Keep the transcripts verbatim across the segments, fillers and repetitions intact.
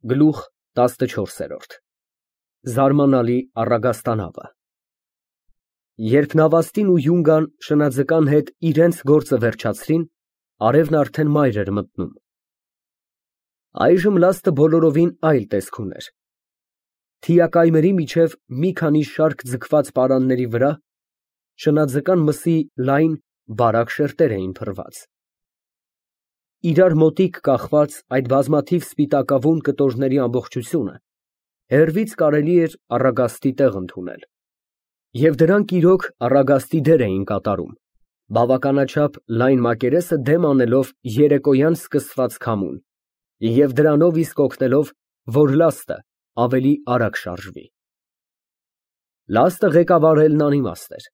Գլուխ տասնչորս։ Զարմանալի առագաստանավը։ Երբ Նավաստին ու Յունգան շնաձկան հետ իրենց գործը վերջացրին, արևն արդեն մայր էր մտնում։ Այժմ լաստը բոլորովին այլ տեսք ուներ։ Թիակայմերի միջև մի քանի շարք ձգված պարանների վրա շնաձկան մսի լայն, բարակ շերտեր էին փռված։ Իրար մոտիկ կախված այդ բազմաթիվ սպիտակավուն կտորների ամբողջությունը հեռվից կարելի էր առագաստի տեղ ընդունել։ Եվ դրանք իրոք առագաստի դեր էին կատարում, բավականաչափ լայն մակերեսը դեմ անելով երեկոյան սկսված քամուն և դրանով իսկ օգնելով, որ լաստը ավելի արագ շարժվի։ Լաստը ղեկավարելն անիմաստ էր։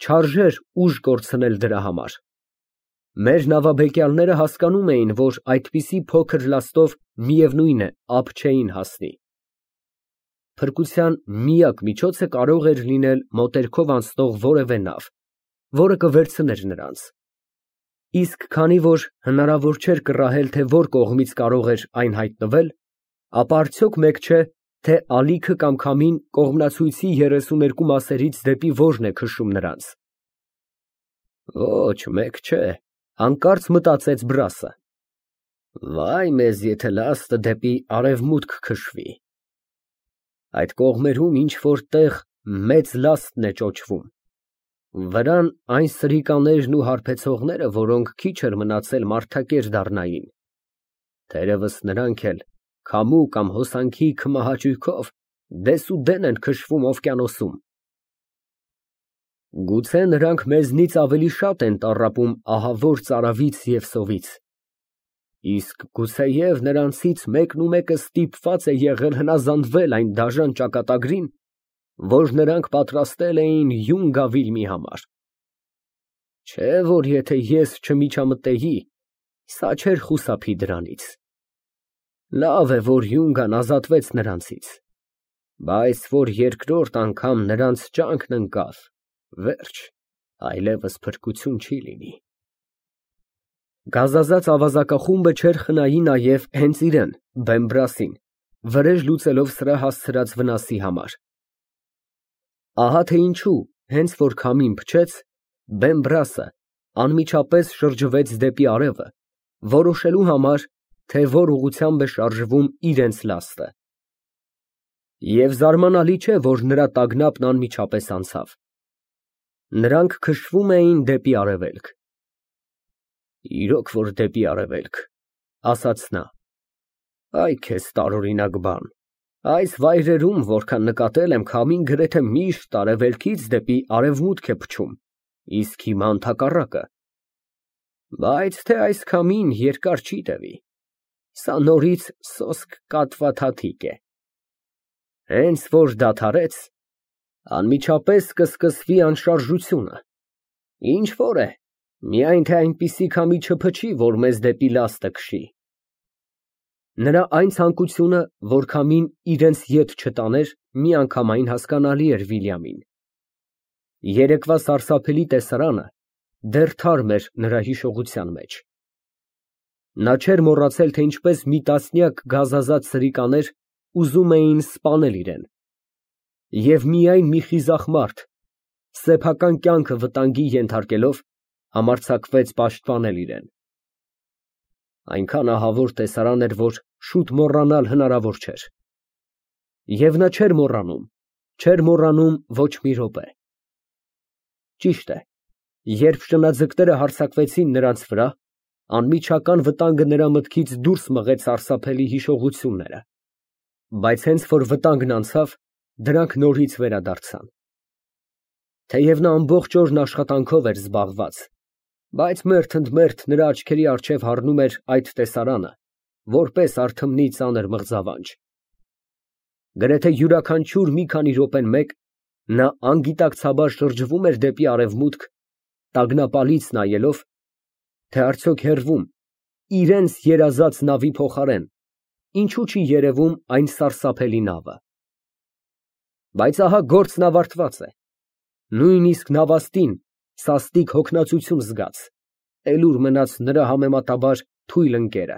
Չարժեր ուժ կորցնել դրա համար։ Մեր նավաբեկյալները հասկանում էին, որ այդպիսի փոքր լաստով միևնույն է ափ չէին հասնի։ Փրկության միակ միջոցը կարող էր լինել մոտերքով անցնող որևէ նավ, որը կվերցներ նրանց։ Իսկ քանի որ հնարավոր չէր կռահել, թե որ կողմից կարող էր այն հայտնվել, ապա արդյոք մեկ չէ, թե ալիքը կամ քամին կողմնացույցի երեսուներկու մասերից դեպի որն է քշում նրանց։ Ոչ, մեկ չէ, հանկարծ մտածեց Բրասը։ Վայ մեզ, եթե լաստը դեպի արևմուտք քշվի։ Այդ կողմերում ինչ-որ տեղ մեծ լաստն է ճոճվում։ Վրան այն սրիկաներն ու հարբեցողները, որոնք քիչ էր մնացել մարդակեր դառնային։ Թերևս նրանք էլ քամու կամ հոսանքի քմահաճույքով դեսուդեն են քշվում օվկիանոսում։ Գուցե նրանք մեզնից ավելի շատ են տառապում ահավոր ծարավից և սովից։ Իսկ գուցեև նրանցից մեկն ու մեկը ստիպված է եղել հնազանդվել այն դաժան ճակատագրին, որ նրանք պատրաստել էին յուն գավիլմի համար։ Չէ, որ եթե ես չմիջամտեի, սա չէր խուսափի դրանից։ Լավ է, որ Յունգան ազատվեց նրանցից, բայց որ երկրորդ անգամ նրանց ճանկն ընկավ, վերջ, այլևս փրկություն չի լինի։ Գազազած ավազակախումբը չէր խնայի նաև հենց իրեն, բեմ Բրասին, վրեժ լուծելով սրա հասցրած վնասի համար։ Ահա թե ինչու, հենց որ քամին փչեց, բեմ Բրասը անմիջապես շրջվեց դեպի արևը, որոշելու համար, թե որ ուղղությամբ է շարժվում իրենց լաստը։ Եվ զարմանալի չէ, որ նրա տագնապն անմիջապես անցավ։ Նրանք քշվում էին դեպի արևելք։ Իրոք որ դեպի արևելք, ասաց նա։ Այ քեզ տարօրինակ բան, այս վայրերում, որքան նկատել եմ, քամին գրեթե միշտ արևելքից դեպի արևմուտք է փչում, իսկ հիմա ընդհակառակը։ Բայց թե այս քամին երկար չի տևի, սա նորից սոսկ կատվաթաթիկ է։ Հենց որ դադարեց, անմիջապես կսկսվի անշարժությունը։ Ինչ որ է, միայն թե այնպիսի քամի չփչի, որ մեզ դեպի լաստը քշի։ Նրա այն ցանկությունը, որ քամին իրենց ետ չտաներ, միանգամայն հասկանալի էր Վիլյամին։ Երեկվա սարսափելի տեսարանը դեռ թարմ էր նրա հիշողության մեջ։ Նա չէր մոռացել, թե ինչպես մի տասնյակ գազազած սրիկաներ ուզում էին սպանել իրեն, և միայն մի խիզախ մարդ, սեփական կյանքը վտանգի ենթարկելով, համարձակվեց պաշտպանել իրեն։ Այնքան ահավոր տեսարան էր, որ շուտ մոռանալ հնարավոր չէր։ Եվ նա չէր մոռանում, չէր մոռանում ոչ մի րոպե։ Ճիշտ է, երբ շնաձկները հարձակվեցին նրանց վրա, անմիջական վտանգը նրա մտքից դուրս մղեց սարսափելի հիշողությունները, բայց հենց որ վտանգն անցավ, դրանք նորից վերադարձան։ Թեև նա ամբողջ օրն աշխատանքով էր զբաղված, բայց մերթ ընդ մերթ նրա աչքերի առջև հառնում էր այդ տեսարանը, որպես արթմնի ծանր մղձավանջ։ Գրեթե յուրաքանչյուր մի քանի րոպեն մեկ նա անգիտակցաբար շրջվում էր դեպի արևմուտք, տագնապալից նայելով, թե արդյոք հեռվում, իրենց երազած նավի փոխարեն, ինչու չի երևում այն սարսափելի նավը։ Բայց ահա գործն ավարտված է։ Նույնիսկ նավաստին սաստիկ հոգնածություն զգաց, էլ ուր մնաց նրա համեմատաբար թույլ ընկերը։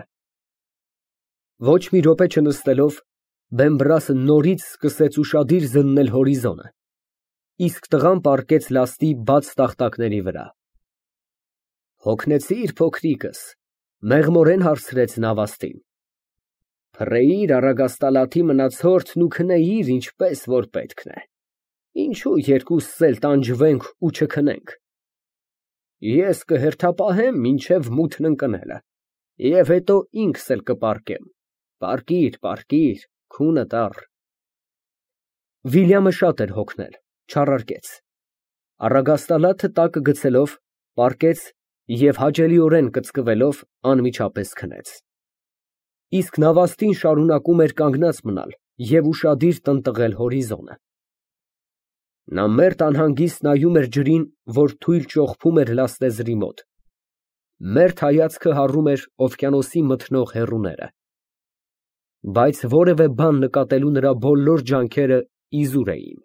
Ոչ մի րոպե չնստելով, Բեմբրասը նորից սկսեց ուշադիր զննել հորիզոնը, իսկ տղան պառկեց լաստի բաց տախտակների վրա։ Հոգնեցի՞ր, փոքրիկս, մեղմորեն հարցրեց նավաստին։ Փռեիր առագաստալաթի մնացորդն ու քնեիր, ինչպես որ պետքն է, ինչու երկուսս էլ տանջվենք ու չքնենք։ Ես կհերթապահեմ մինչև մութն ընկնելը, և հետո ինքս էլ կպառկեմ, պառկիր, պառկիր, քունդ առ։ Վիլյամը շատ էր հոգնել, չառարգեց, առագաստալաթը տակը գցելով, պառկեց և հաճելիորեն կծկվելով անմիջապես քնեց։ Իսկ նավաստին շարունակում էր կանգնած մնալ և ուշադիր տնտղել հորիզոնը։ Նա մերթ անհանգիստ նայում էր ջրին, որ թույլ ճոխփում էր լաստեզրի մոտ, մերթ հայացքը հառում էր օվկիանոսի մթնող հեռուները։ Բայց որևէ բան նկատելու նրա բոլոր ջանքերը իզուր էին։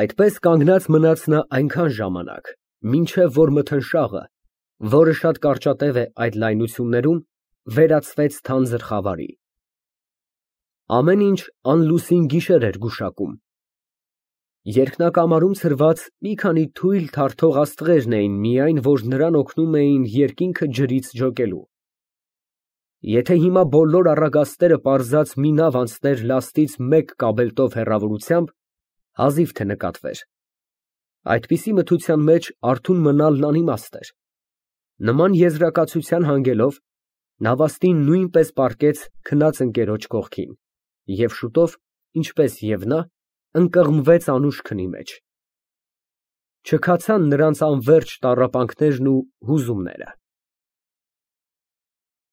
Այդպես կանգնած մնաց նա այնքան ժամանակ, մինչև որ մթնշաղը, որը շատ կարճատև է այդ լայնություններում, վերածվեց թանձր խավարի։ Ամեն ինչ անլուսին գիշեր էր գուշակում։ Երկնակամարում ցրված մի քանի թույլ թարթող աստղերն էին միայն, որ նրան օգնում էին երկինքը ջրից ջոկելու։ Եթե հիմա բոլոր առագաստերը պարզած մի նավ անցներ լաստից մեկ կաբելտով հեռավորությամբ, հազիվ թե նկատվեր։ Այդպիսի մթության մեջ արթուն մնալն անիմաստ էր։ Նման եզրակացության հանգելով, նավաստին նույնպես պառկեց քնած ընկերոջ կողքին և շուտով, ինչպես և նա, ընկղմվեց անուշ քնի մեջ։ Չքացան նրանց անվերջ տառապանքներն ու հուզումները։